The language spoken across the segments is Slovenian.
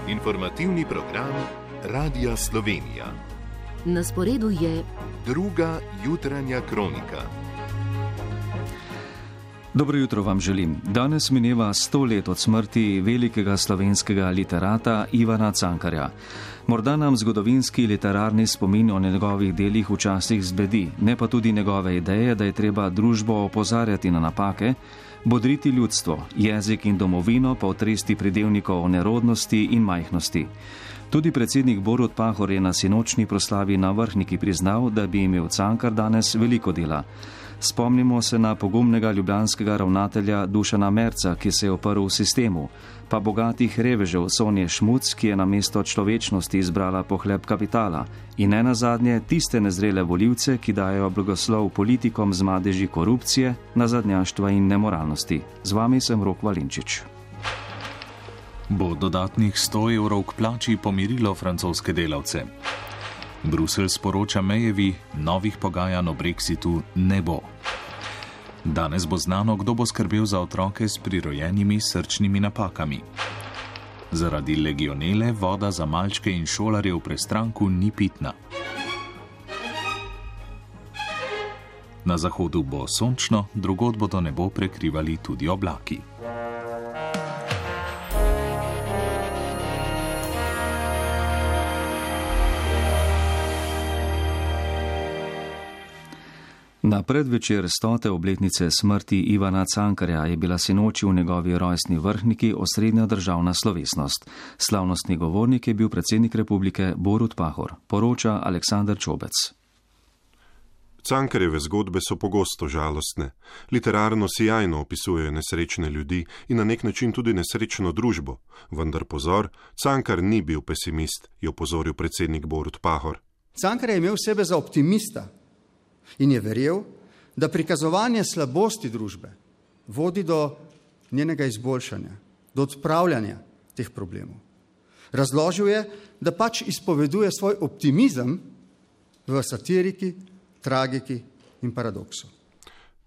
Informativni program Radia Slovenija. Na sporedu je druga jutranja kronika. Dobro jutro vam želim. Danes mineva 100 let od smrti velikega slovenskega literata Ivana Cankarja. Morda nam zgodovinski literarni spomin o njegovih delih včasih zbledi, ne pa tudi njegove ideje, da je treba družbo opozarjati na napake, bodriti ljudstvo, jezik in domovino pa otresti pridevnikov o nerodnosti in majhnosti. Tudi predsednik Borut Pahor je na sinočni proslavi na Vrhniki priznal, da bi imel Cankar danes veliko dela. Spomnimo se na pogumnega ljubljanskega ravnatelja Dušana Merca, ki se je oprl v sistemu, pa bogatih revežev Sonje Šmuc, ki je namesto človečnosti izbrala pohleb kapitala, in ne nazadnje tiste nezrele volivce, ki dajo blagoslov politikom z madeži korupcije, nazadnjaštva in nemoralnosti. Z vami sem Rok Valinčič. Bo dodatnih 100 evrov k plači pomirilo francoske delavce? Bruselj sporoča Mayevi, novih pogajanj o Brexitu ne bo. Danes bo znano, kdo bo skrbel za otroke s prirojenimi srčnimi napakami. Zaradi legionele voda za malčke in šolarje v Prestranku ni pitna. Na zahodu bo sončno, drugod bodo nebo prekrivali tudi oblaki. Na predvečer 100. obletnice smrti Ivana Cankarja je bila sinoči v njegovi rojstni Vrhniki osrednja državna slovesnost. Slavnostni govornik je bil predsednik republike Borut Pahor. Poroča Aleksander Čobec. Cankarjeve zgodbe so pogosto žalostne. Literarno sijajno opisujejo nesrečne ljudi in na nek način tudi nesrečno družbo. Vendar pozor, Cankar ni bil pesimist, je opozoril predsednik Borut Pahor. Cankar je imel sebe za optimista in je verjel, da prikazovanje slabosti družbe vodi do njenega izboljšanja, do odpravljanja teh problemov. Razložil je, da pač izpoveduje svoj optimizem v satiriki, tragiki in paradoksu.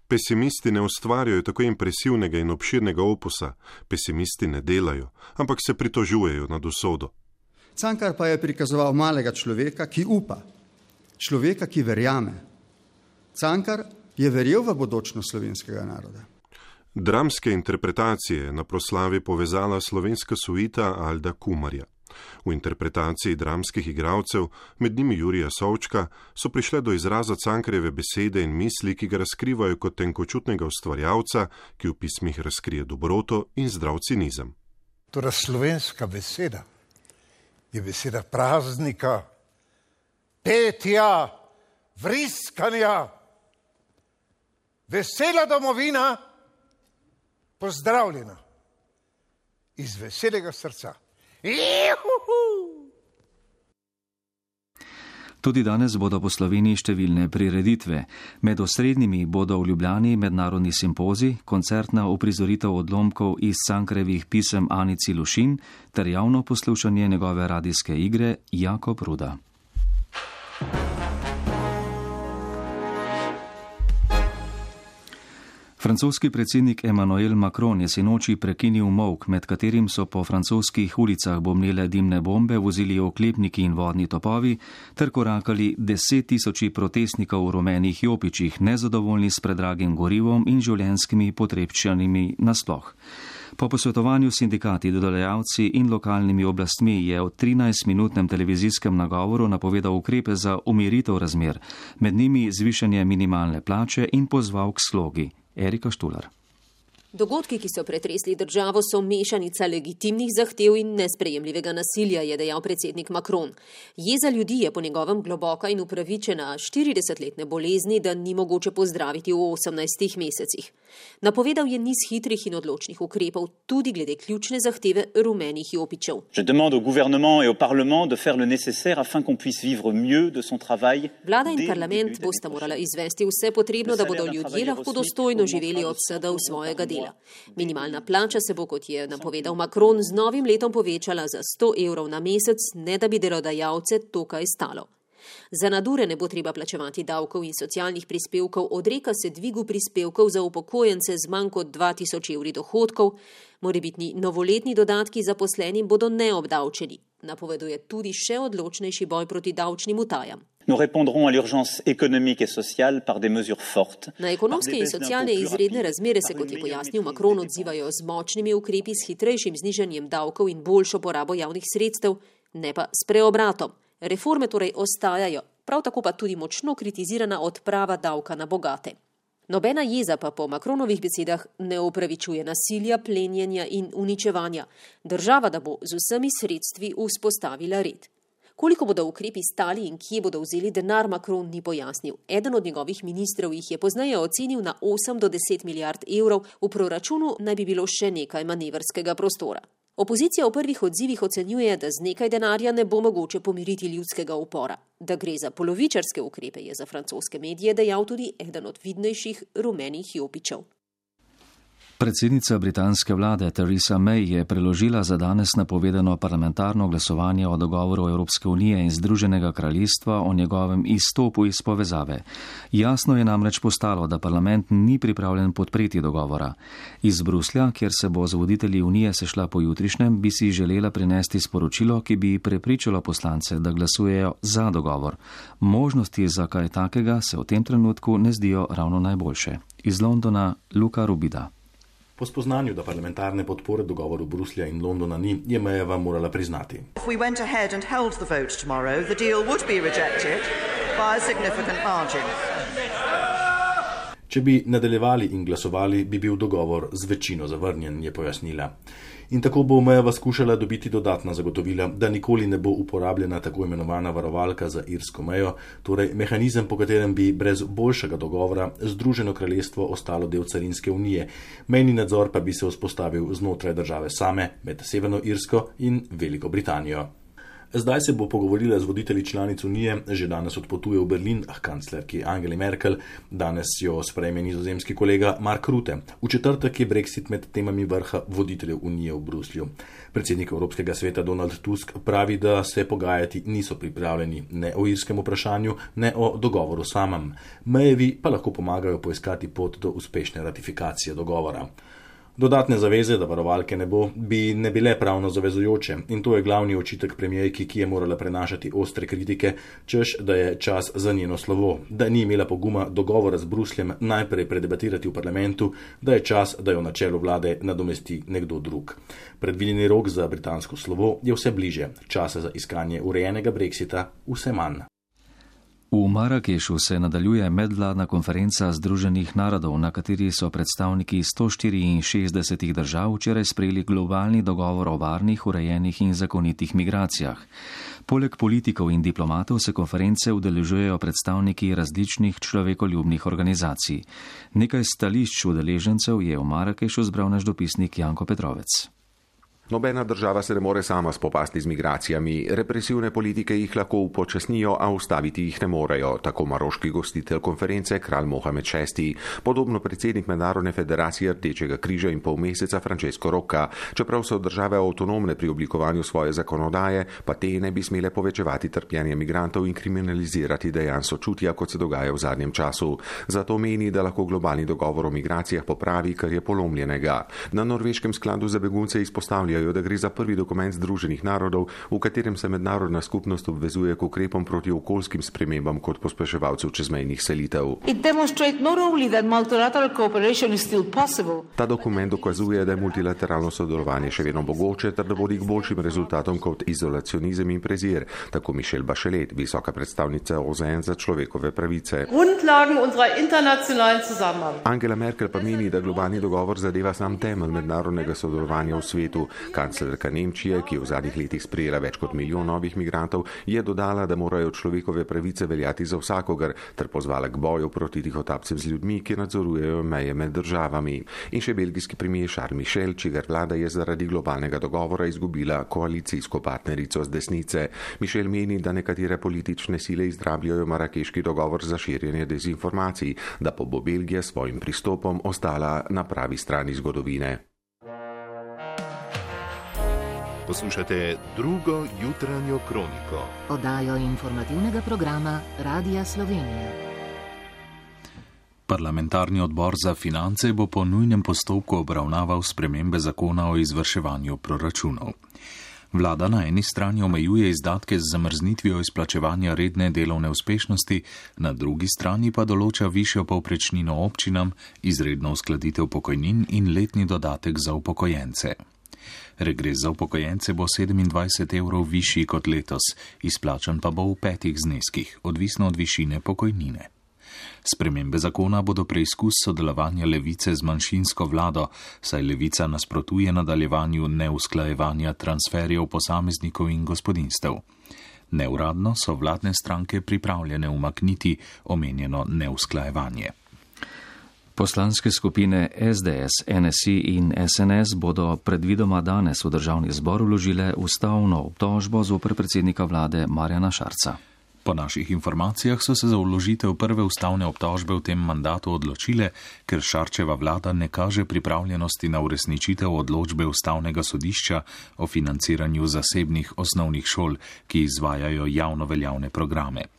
Pesimisti ne ustvarjajo tako impresivnega in obširnega opusa, pesimisti ne delajo, ampak se pritožujejo nad usodo. Cankar pa je prikazoval malega človeka, ki upa, človeka, ki verjame. Cankar je verjel v bodočnost slovenskega naroda. Dramske interpretacije na proslavi povezala slovenska suita Alda Kumarja. V interpretaciji dramskih igralcev, med njimi Jurija Sovčka, so prišle do izraza Cankarjeve besede in misli, ki ga razkrivajo kot tenkočutnega ustvarjalca, ki v pismih razkrije dobroto in zdrav cinizem. Torej slovenska beseda je beseda praznika, petja, vriskanja. Vesela domovina, pozdravljena iz veselega srca. Tudi danes bodo po Sloveniji številne prireditve. Med osrednjimi bodo v Ljubljani mednarodni simpozij, koncertna uprizoritev odlomkov iz Cankarjevih pisem Anici Lušin ter javno poslušanje njegove radijske igre Jakob Ruda. Francoski predsednik Emmanuel Macron je sinoči prekinil molk, med katerim so po francoskih ulicah bomnele dimne bombe, vozili oklepniki in vodni topovi ter korakali 10 000 protestnikov v rumenih jopičih, nezadovoljni s predragim gorivom in življenjskimi potrebščinami nasploh. Po posvetovanju s sindikati, delodajalci in lokalnimi oblastmi je v 13-minutnem televizijskem nagovoru napovedal ukrepe za umiritev razmer, med njimi zvišanje minimalne plače in pozval k slogi. Erika Štular. Dogodki, ki so pretresli državo, so mešanica legitimnih zahtev in nesprejemljivega nasilja, je dejal predsednik Macron. Jeza ljudi je po njegovem globoka in upravičena 40-letne bolezni, da ni mogoče pozdraviti v 18 mesecih. Napovedal je niz hitrih in odločnih ukrepov, tudi glede ključne zahteve rumenih jopičev. Je demande au gouvernement et au parlement de faire le nécessaire afin qu'on puisse vivre mieux de son travail. Vlada in parlament bosta morala izvesti vse potrebno, da bodo ljudje lahko dostojno živeli od vsega svojega dela. Minimalna plača se bo, kot je napovedal Macron, z novim letom povečala za 100 evrov na mesec, ne da bi delodajalce to kaj stalo. Za nadure ne bo treba plačevati davkov in socialnih prispevkov, odreka se dvigu prispevkov za upokojence z manj kot 2000 evri dohodkov, morebitni novoletni dodatki zaposlenim bodo neobdavčeni. Napoveduje tudi še odločnejši boj proti davčnim utajam. Nous répondrons à l'urgence économique et sociale par des mesures fortes. Na ekonomske in socialne izredne razmere se, kot je pojasnil Macron, odzivajo z močnimi ukrepi, s hitrejšim znižanjem davkov in boljšo porabo javnih sredstev, ne pa s preobratom. Reforme torej ostajajo, prav tako pa tudi močno kritizirana odprava davka na bogate. Nobena jeza pa po Macronovih besedah ne upravičuje nasilja, plenjenja in uničevanja. Država, da bo z vsemi sredstvi vzpostavila red. Koliko bodo ukrepi stali in kje bodo vzeli denar, Macron ni pojasnil. Eden od njegovih ministrov jih je pozneje ocenil na 8 do 10 milijard evrov, v proračunu naj bi bilo še nekaj manevrskega prostora. Opozicija v prvih odzivih ocenjuje, da z nekaj denarja ne bo mogoče pomiriti ljudskega upora. Da gre za polovičarske ukrepe, je za francoske medije dejal tudi eden od vidnejših rumenih jopičev. Predsednica britanske vlade Theresa May je preložila za danes napovedano parlamentarno glasovanje o dogovoru Evropske unije in Združenega kraljestva o njegovem izstopu iz povezave. Jasno je namreč postalo, da parlament ni pripravljen podpreti dogovora. Iz Bruslja, kjer se bo z voditelji unije sešla pojutrišnjem, bi si želela prinesti sporočilo, ki bi prepričalo poslance, da glasujejo za dogovor. Možnosti za kaj takega se v tem trenutku ne zdijo ravno najboljše. Iz Londona Luka Rubida. Po spoznanju, da parlamentarne podpore dogovoru Bruslja in Londona ni, je Mayeva morala priznati. Če bi nadaljevali in glasovali, bi bil dogovor z večino zavrnjen, je pojasnila. In tako bo Mayeva skušala dobiti dodatna zagotovila, da nikoli ne bo uporabljena tako imenovana varovalka za irsko mejo, torej mehanizem, po katerem bi brez boljšega dogovora Združeno kraljestvo ostalo del carinske unije. Mejni nadzor pa bi se vzpostavil znotraj države same, med Severno Irsko in Veliko Britanijo. Zdaj se bo pogovorila z voditelji članic unije, že danes odpotuje v Berlin k kanclerki Angeli Merkel, danes jo sprejme nizozemski kolega Mark Rutte. V četrtek je Brexit med temami vrha voditeljev unije v Bruslju. Predsednik Evropskega sveta Donald Tusk pravi, da se pogajati niso pripravljeni ne o irskem vprašanju, ne o dogovoru samem. Mayevi pa lahko pomagajo poiskati pot do uspešne ratifikacije dogovora. Dodatne zaveze, da varovalke ne bo, bi ne bile pravno zavezujoče in to je glavni očitek premijerki, ki je morala prenašati ostre kritike, češ, da je čas za njeno slovo, da ni imela poguma dogovora z Brusljem najprej predebatirati v parlamentu, da je čas, da jo na čelu vlade nadomesti nekdo drug. Predvideni rok za britansko slovo je vse bliže, časa za iskanje urejenega brexita vse manj. V Marakešu se nadaljuje medvladna konferenca Združenih narodov, na kateri so predstavniki 164 držav včeraj sprejeli globalni dogovor o varnih, urejenih in zakonitih migracijah. Poleg politikov in diplomatov se konference udeležujejo predstavniki različnih človekoljubnih organizacij. Nekaj stališč udeležencev je v Marakešu zbral naš dopisnik Janko Petrovec. Nobena država se ne more sama spopasti z migracijami. Represivne politike jih lahko upočasnijo, a ustaviti jih ne morejo, tako maroški gostitelj konference kralj Mohamed VI. Podobno predsednik Mednarodne federacije Rdečega križa in pol meseca Francesco Rocca. Čeprav so države avtonomne pri oblikovanju svoje zakonodaje, pa te ne bi smele povečevati trpljenja migrantov in kriminalizirati dejanj sočutja, kot se dogaja v zadnjem času. Zato meni, da lahko globalni dogovor o migracijah popravi, kar je polomljenega. Na norveškem skladu za begunce izpostavljajo, da gre za prvi dokument Združenih narodov, v katerem se mednarodna skupnost obvezuje k ukrepom proti okoljskim spremembam kot pospeševalcev čezmejnih selitev. Ta dokument dokazuje, da je multilateralno sodelovanje še vedno mogoče, ter da vodi k boljšim rezultatom kot izolacionizem in prezir, tako Michelle Bachelet, visoka predstavnica OZN za človekove pravice. Angela Merkel pa meni, da globalni dogovor zadeva sam temelj mednarodnega sodelovanja v svetu. Kanclerka Nemčije, ki je v zadnjih letih sprejela več kot 1 milijon novih migrantov, je dodala, da morajo človekove pravice veljati za vsakogar, ter pozvala k boju proti tihotapcem z ljudmi, ki nadzorujejo meje med državami. In še belgijski premier Charles Michel, čigar vlada je zaradi globalnega dogovora izgubila koalicijsko partnerico z desnice. Michel meni, da nekatere politične sile izrabljajo marakeški dogovor za širjenje dezinformacij, da pa bo Belgija s svojim pristopom ostala na pravi strani zgodovine. Poslušate drugo jutranjo kroniko. Oddajo informativnega programa Radia Slovenija. Parlamentarni odbor za finance bo po nujnem postopku obravnaval spremembe zakona o izvrševanju proračunov. Vlada na eni strani omejuje izdatke z zamrznitvijo izplačevanja redne delovne uspešnosti, na drugi strani pa določa višjo povprečnino občinam, izredno uskladitev pokojnin in letni dodatek za upokojence. Regres za upokojence bo 27 evrov višji kot letos, izplačan pa bo v 5 zneskih, odvisno od višine pokojnine. Spremembe zakona bodo preizkus sodelovanja Levice z manjšinsko vlado, saj Levica nasprotuje nadaljevanju neusklajevanja transferjev posameznikov in gospodinstev. Neuradno so vladne stranke pripravljene umakniti omenjeno neusklajevanje. Poslanske skupine SDS, NSI in SNS bodo predvidoma danes v državni zbor vložile ustavno obtožbo zoper predsednika vlade Marjana Šarca. Po naših informacijah so se za vložitev prve ustavne obtožbe v tem mandatu odločile, ker Šarčeva vlada ne kaže pripravljenosti na uresničitev odločbe Ustavnega sodišča o financiranju zasebnih osnovnih šol, ki izvajajo javno veljavne programe.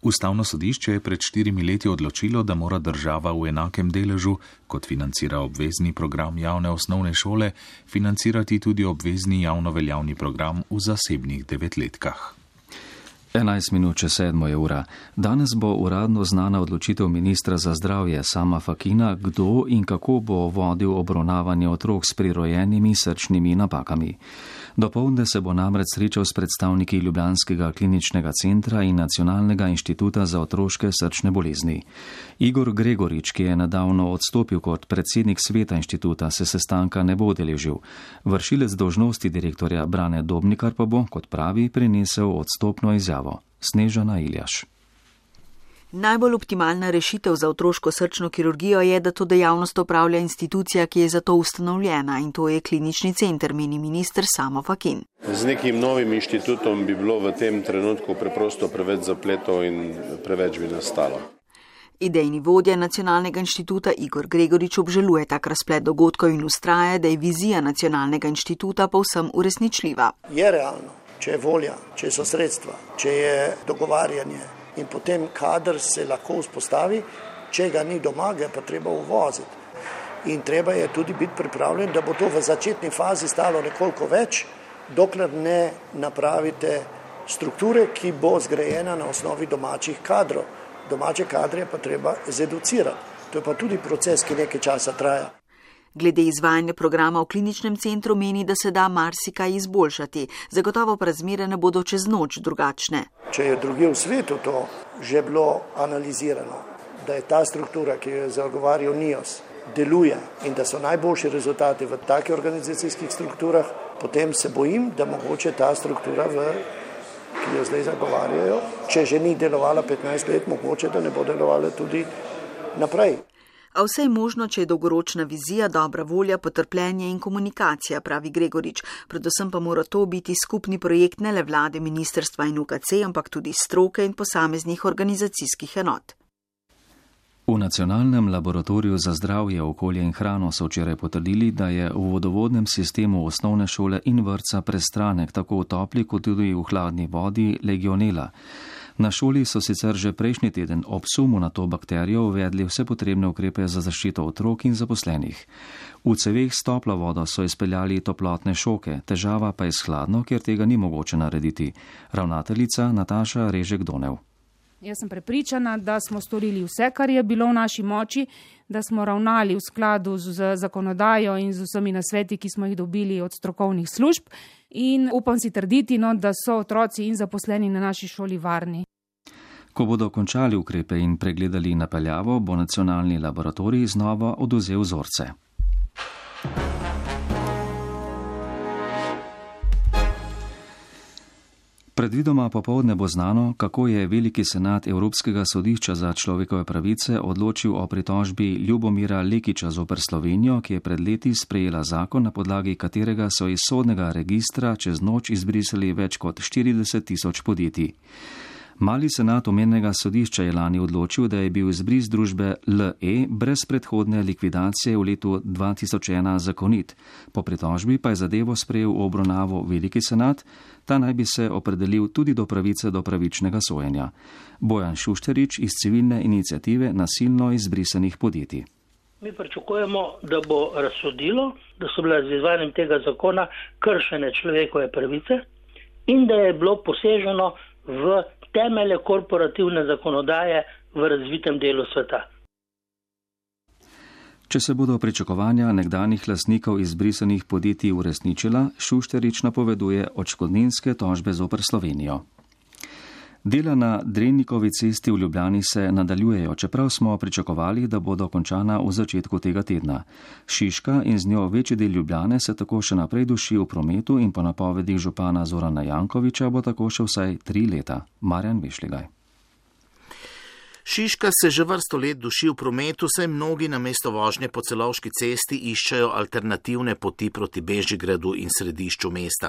Ustavno sodišče je pred 4 leti odločilo, da mora država v enakem deležu, kot financira obvezni program javne osnovne šole, financirati tudi obvezni javno veljavni program v zasebnih 9-letkah. 11 minut čez 7 ura. Danes bo uradno znana odločitev ministra za zdravje Sama Fakina, kdo in kako bo vodil obravnavanje otrok s prirojenimi srčnimi napakami. Dopoldne se bo namreč srečal s predstavniki Ljubljanskega kliničnega centra in Nacionalnega inštituta za otroške srčne bolezni. Igor Gregorič, ki je nedavno odstopil kot predsednik sveta inštituta, se sestanka ne bo udeležil. Vršilec dolžnosti direktorja Brane Dobnikar pa bo, kot pravi, prinesel odstopno izjavo. Snežana Iljaš. Najbolj optimalna rešitev za otroško srčno kirurgijo je, da to dejavnost opravlja institucija, ki je za to ustanovljena, in to je klinični center, meni minister Samo Fakin. Z nekim novim inštitutom bi bilo v tem trenutku preprosto preveč zapletov in preveč bi nastalo. Idejni vodja Nacionalnega inštituta Igor Gregorič obžaluje tak razplet dogodkov in ustraja, da je vizija Nacionalnega inštituta povsem uresničljiva. Je realno, če je volja, če so sredstva, če je dogovarjanje, in potem kader se lahko vzpostavi, če ga ni doma, ga pa treba uvoziti. In treba je tudi biti pripravljen, da bo to v začetni fazi stalo nekoliko več, dokler ne napravite strukture, ki bo zgrajena na osnovi domačih kadrov. Domače kadre pa treba zeducirati. To je pa tudi proces, ki nekaj časa traja. Glede izvajanja programa v kliničnem centru meni, da se da marsikaj izboljšati. Zagotovo pa razmere ne bodo čez noč drugačne. Če je drugje v svetu to že bilo analizirano, da je ta struktura, ki jo je zagovarjal NIOS, deluje in da so najboljši rezultati v takih organizacijskih strukturah, potem se bojim, da mogoče ta struktura, ki jo zdaj zagovarjajo, če že ni delovala 15 let, mogoče da ne bo delovala tudi naprej. A vse je možno, če je dolgoročna vizija, dobra volja, potrpljenje in komunikacija, pravi Gregorič. Predvsem pa mora to biti skupni projekt ne le vlade, ministrstva in UKC, ampak tudi stroke in posameznih organizacijskih enot. V Nacionalnem laboratoriju za zdravje, okolje in hrano so včeraj potrdili, da je v vodovodnem sistemu osnovne šole in vrtca prestranek tako v topli kot tudi v hladni vodi legionela. Na šoli so sicer že prejšnji teden ob sumu na to bakterijo uvedli vse potrebne ukrepe za zaščito otrok in zaposlenih. V ceveh s toplo vodo so izpeljali toplotne šoke, težava pa je s hladno, kjer tega ni mogoče narediti. Ravnateljica Nataša Režek-Donev. Jaz sem prepričana, da smo storili vse, kar je bilo v naši moči, da smo ravnali v skladu z zakonodajo in z vsemi nasveti, ki smo jih dobili od strokovnih služb. In upam si trditi, da so otroci in zaposleni na naši šoli varni. Ko bodo končali ukrepe in pregledali napeljavo, bo nacionalni laboratorij znova odvzel vzorce. Predvidoma popoldne bo znano, kako je Veliki senat Evropskega sodišča za človekove pravice odločil o pritožbi Ljubomira Lekića zoper Slovenijo, ki je pred leti sprejela zakon, na podlagi katerega so iz sodnega registra čez noč izbrisali več kot 40 000 podjetij. Mali senat omenjenega sodišča je lani odločil, da je bil izbris družbe LE brez predhodne likvidacije v letu 2001 zakonit. Po pritožbi pa je zadevo sprejel v obravnavo Veliki senat, ta naj bi se opredelil tudi do pravice do pravičnega sojenja. Bojan Šušterič iz civilne iniciative nasilno izbrisanih podjetij. Mi pričakujemo, da bo razsodilo, da so bile z izvajanjem tega zakona kršene človekove pravice in da je bilo poseženo v temelje korporativne zakonodaje v razvitem delu sveta. Če se bodo pričakovanja nekdanjih lastnikov izbrisanih podjetij uresničila, Šušterič napoveduje odškodninske tožbe zoper Slovenijo. Dela na Drenikovi cesti v Ljubljani se nadaljujejo, čeprav smo pričakovali, da bodo končana v začetku tega tedna. Šiška in z njo večji del Ljubljane se tako še naprej duši v prometu in po napovedih župana Zorana Jankovića bo tako še vsaj 3 leta. Marjan Bešligaj. Šiška se že vrsto let duši v prometu, saj mnogi namesto vožnje po Celovški cesti iščejo alternativne poti proti Bežigradu in središču mesta.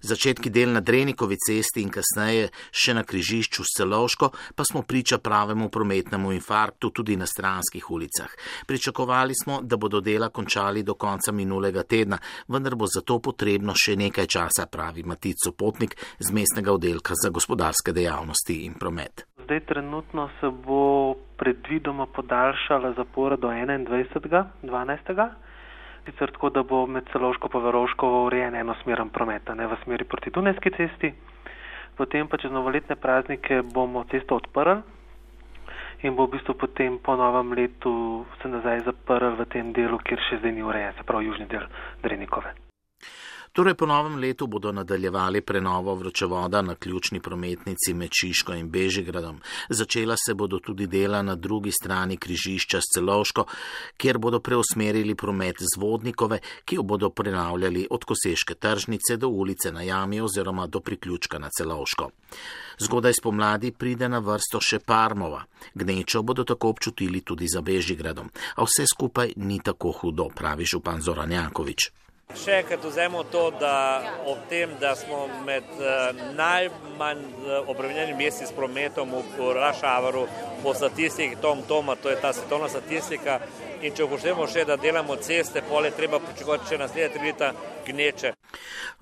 Začetki del na Drenikovi cesti in kasneje še na križišču s Celovško pa smo priča pravemu prometnemu infarktu tudi na stranskih ulicah. Pričakovali smo, da bodo dela končali do konca minulega tedna, vendar bo zato potrebno še nekaj časa, pravi Matic Sopotnik z mestnega oddelka za gospodarske dejavnosti in promet. Zdaj trenutno se bo predvidoma podaljšala zapora do 21.12. Sicer tako, da bo med Celovško pa Verovško urejen enosmeren promet, ne v smeri proti Dunajski cesti. Potem pa čez novoletne praznike bomo cesto odprli in bo v bistvu potem po novem letu se nazaj zaprli v tem delu, kjer še zdaj ni urejen, se pravi južni del Drenikove. Torej po novem letu bodo nadaljevali prenovo vročevoda na ključni prometnici med Šiško in Bežigradom. Začela se bodo tudi dela na drugi strani križišča s Celovško, kjer bodo preusmerili promet z Vodnikove, ki jo bodo prenavljali od Koseške tržnice do ulice na Jami oziroma do priključka na Celovško. Zgodaj spomladi pride na vrsto še Parmova. Gnečo bodo tako občutili tudi za Bežigradom. A vse skupaj ni tako hudo, pravi župan Zoran Janković. Še enkrat vzemo to, da ob tem, da smo med najmanj obremenjenim mesti s prometom v rush houru po statistiki Toma, to je ta svetovna statistika, in če upoštevamo še, da delamo ceste, pol je treba pričakovati še naslednje 3 leta gneče.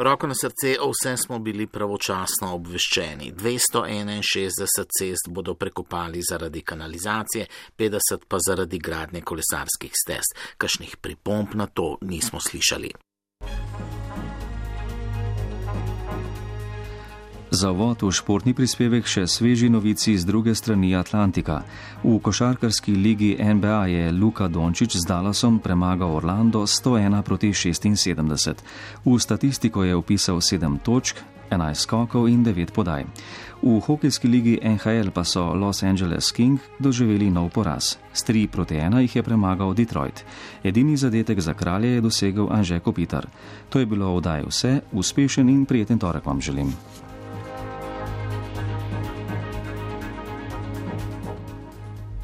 Roko na srce, o vsem smo bili pravočasno obveščeni. 261 cest bodo prekopali zaradi kanalizacije, 50 pa zaradi gradnje kolesarskih stez. Kakšnih pripomb na to nismo slišali. Za uvod v športni prispevek še sveži novici z druge strani Atlantika. V košarkarski ligi NBA je Luka Dončić z Dallasom premagal Orlando 101-76. V statistiko je vpisal 7 točk, 11 skokov in 9 podaj. V hokejski ligi NHL pa so Los Angeles Kings doživeli nov poraz. S 3-1 jih je premagal Detroit. Edini zadetek za kralje je dosegel Anže Kopitar. To je bilo v oddaji vse, uspešen in prijeten torek vam želim.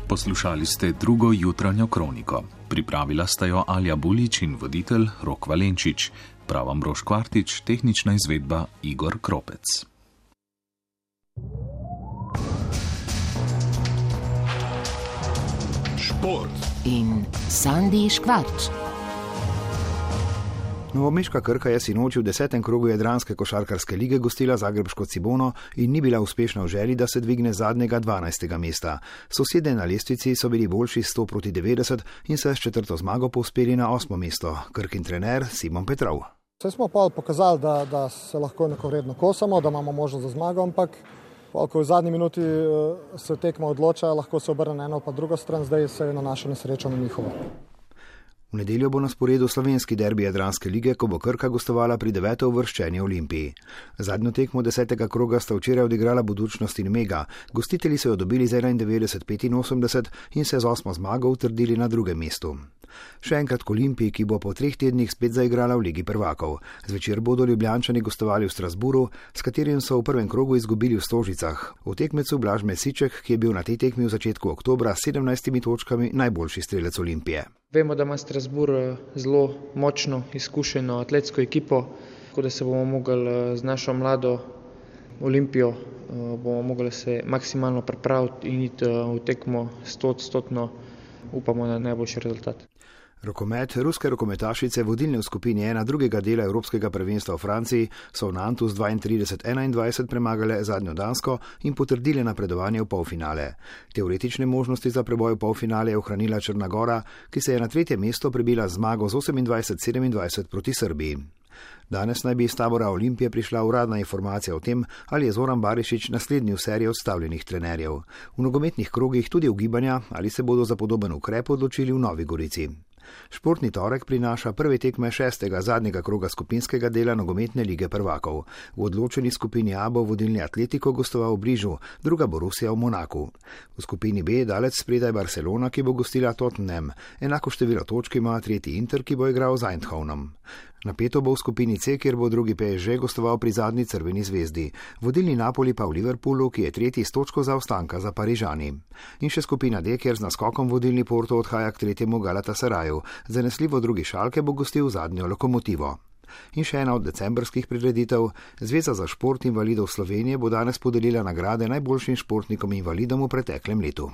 Poslušali ste drugo jutranjo kroniko. Pripravila sta jo Alja Bulič in voditelj Rok Valenčič. Prav Ambrož Kvartič, tehnična izvedba Igor Kropec. Šport in Sandi Škvarč. Novomeška Krka je sinoči v 10. krogu jadranske košarkarske lige gostila zagrebško Cibono in ni bila uspešna v želji, da se dvigne z zadnjega 12. mesta. Sosedje na lestvici so bili boljši 100-90 in se s 4. zmago povzpeli na 8. mesto. Krkin trener Simon Petrov. Vse smo pa pokazali, da se lahko enakovredno kosamo, da imamo možnost za zmago, ampak ko v zadnji minuti se tekma odloča, lahko se obrne na eno pa drugo stran, zdaj se je na našo nesrečo na njihovo. V nedeljo bo na sporedu slovenski derbi jadranske lige, ko bo Krka gostovala pri 9. uvrščeni Olimpiji. Zadnjo tekmo 10. kroga sta včeraj odigrala Budućnost in Mega. Gostitelji so jo dobili z 91-85 in se z 8. zmago utrdili na 2. mestu. Še enkrat k Olimpiji, ki bo po 3 tednih spet zaigrala v Ligi prvakov. Zvečer bodo Ljubljančani gostovali v Strasburu, s katerim so v prvem krogu izgubili v Stožicah. V tekmecu Blaž Mesiček, ki je bil na tej tekmi v začetku oktobra s 17 točkami najboljši strelec Olimpije. Vemo, da ima Strasbourg zelo močno, izkušeno atletsko ekipo, tako da se bomo mogli z našo mlado Olimpijo bomo mogli se maksimalno pripraviti in iti v tekmo 100%, upamo na najboljši rezultat. Rokomet, ruske rokometašice, vodilne v skupini 1 drugega dela Evropskega prvenstva v Franciji, so v Nantu z 32-21 premagale zadnjo Dansko in potrdile napredovanje v polfinale. Teoretične možnosti za preboj v polfinale je ohranila Črna Gora, ki se je na 3. mesto prebila zmago z 28-27 proti Srbiji. Danes naj bi iz tabora Olimpije prišla uradna informacija o tem, ali je Zoran Barišić naslednji v seriji odstavljenih trenerjev. V nogometnih krogih tudi ugibanja, ali se bodo za podoben ukrep odločili v Novi Gorici. Športni torek prinaša prve tekme 6. zadnjega kroga skupinskega dela nogometne lige prvakov. V odločeni skupini A bo vodilni Atletico gostoval v Brižu, druga bo Rusija v Monaku. V skupini B je dalec spredaj Barcelona, ki bo gostila Tottenham. Enako število točk ima tretji Inter, ki bo igral z Eindhovenom. Napeto bo v skupini C, kjer bo drugi PSG gostoval pri zadnji Crveni zvezdi. Vodilni Napoli pa v Liverpoolu, ki je tretji s točko zaostanka za Parižani. In še skupina D, kjer z naskokom vodilni Porto odhaja k tretjemu Galatasaraju. Zanesljivo drugi Šalke bo gostil zadnjo Lokomotivo. In še ena od decembrskih prireditev. Zveza za šport invalidov Slovenije bo danes podelila nagrade najboljšim športnikom invalidom v preteklem letu.